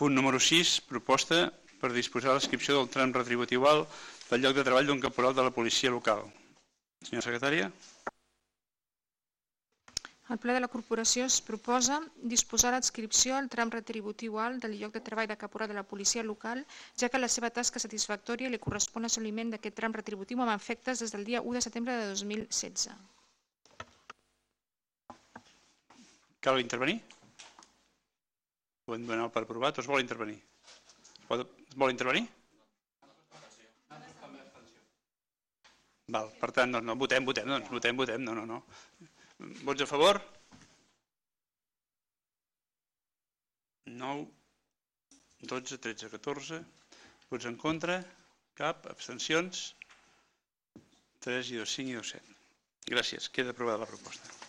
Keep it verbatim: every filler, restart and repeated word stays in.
Punt número sis, proposta per disposar l'inscripció del tram retributiu alt del lloc de treball d'un caporal de la policia local. Senyora secretària. El ple de la corporació es proposa disposar l'adscripció al tram retributiu alt del lloc de treball de caporal de la policia local, ja que la seva tasca satisfactòria li correspon assoliment d'aquest tram retributiu amb efectes des del dia u de setembre de dos mil setze. Cal intervenir? Podem donar per aprovat o es vol intervenir? Es vol intervenir? Val, per tant, no, votem, votem, doncs, votem, votem, no, no, no. Vots a favor? nou, dotze, tretze, catorze. Vots en contra? Cap. Abstencions? tres i dos, cinc i dos, set. Gràcies. Queda aprovada la proposta.